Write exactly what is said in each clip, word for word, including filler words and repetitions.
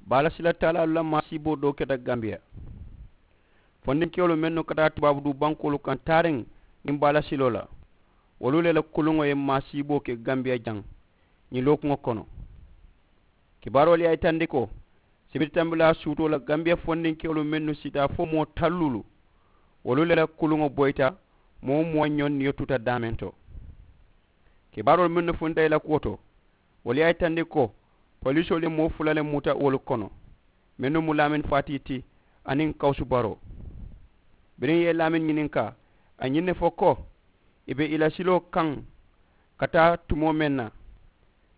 Baala sila taalaalu la maasiiboo doo keta gambiya. Fondinkewolu mennu ka taa tubaabu duu bankoolu kaŋ taariŋ niŋ baala siloo la, wolu le la kuluŋo ye maasiiboo ke gambiya jaŋ ñiŋ lookuŋo kono. Kibaaroolu ye a yitandi ko sibiti tambilaa suutoo la gambiya fondinkewolu mennu siita fo moo talluulu, wolu le la kuluŋo boyita moo woo moo ñoŋ niyo tuta daameŋ to. Kibaaroolu mennu funta i la kuwo to, wolu ye a yitandi ko poliisoolu ye moo fula le muta wolu kono, mennu mu laamin faatii ti aniŋ kawusu baroo. Biriŋ i ye laamin ñininkaa, a ye ñiŋ ne fo ko i be i la siloo kaŋ ka taa tumoo meŋ na,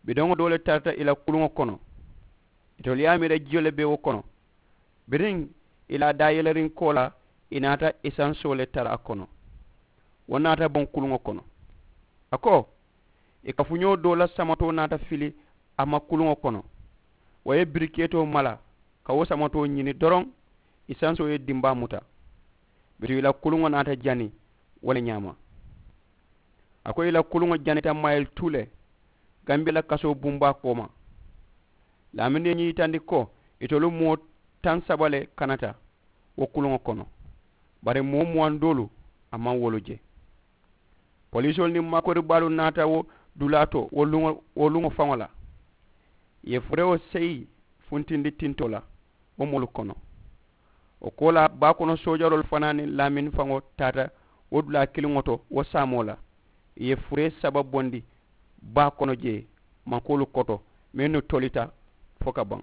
bidoŋo doo le tarata i la kuluŋo kono. Itolu ye a miira jiyo le be wo kono. Biriŋ i la a daayeleriŋ koolaa, i naata isansoo le tara a kono. Wo naata boŋ kuluŋo kono. A ko i kafuñoo doo la samatoo naata fili a ma kuluŋo kono. Wo ye birikeetoo mala ka wo samatoo ñini doroŋ, isansoo ye dimbaa muta. Bituŋ i la kuluŋo naata jani wo le ñaama. A ko i la kuluŋo janita mayili tuu le gambiya la kasoo bumbaa kooma. Laamini ye ñiŋ yitandi ko itolu moo taŋ saba le kanata wo kuluŋo kono, bari moo muwaŋ doolu a maŋ wolu je. Poliisoolu niŋ maakoribaalu naata wo dulaa to wo luŋo faŋo la, i ye furewo seyi funtindi tintoo la wo moolu kono. Wo koolaa baa kono soojaroolu fanaa niŋ laamin faŋo taata wo dulaa kiliŋo to wo saamoo la, i ye furee saba bondi baa kono jee mankoolu koto mennu tolita fo ka baŋ.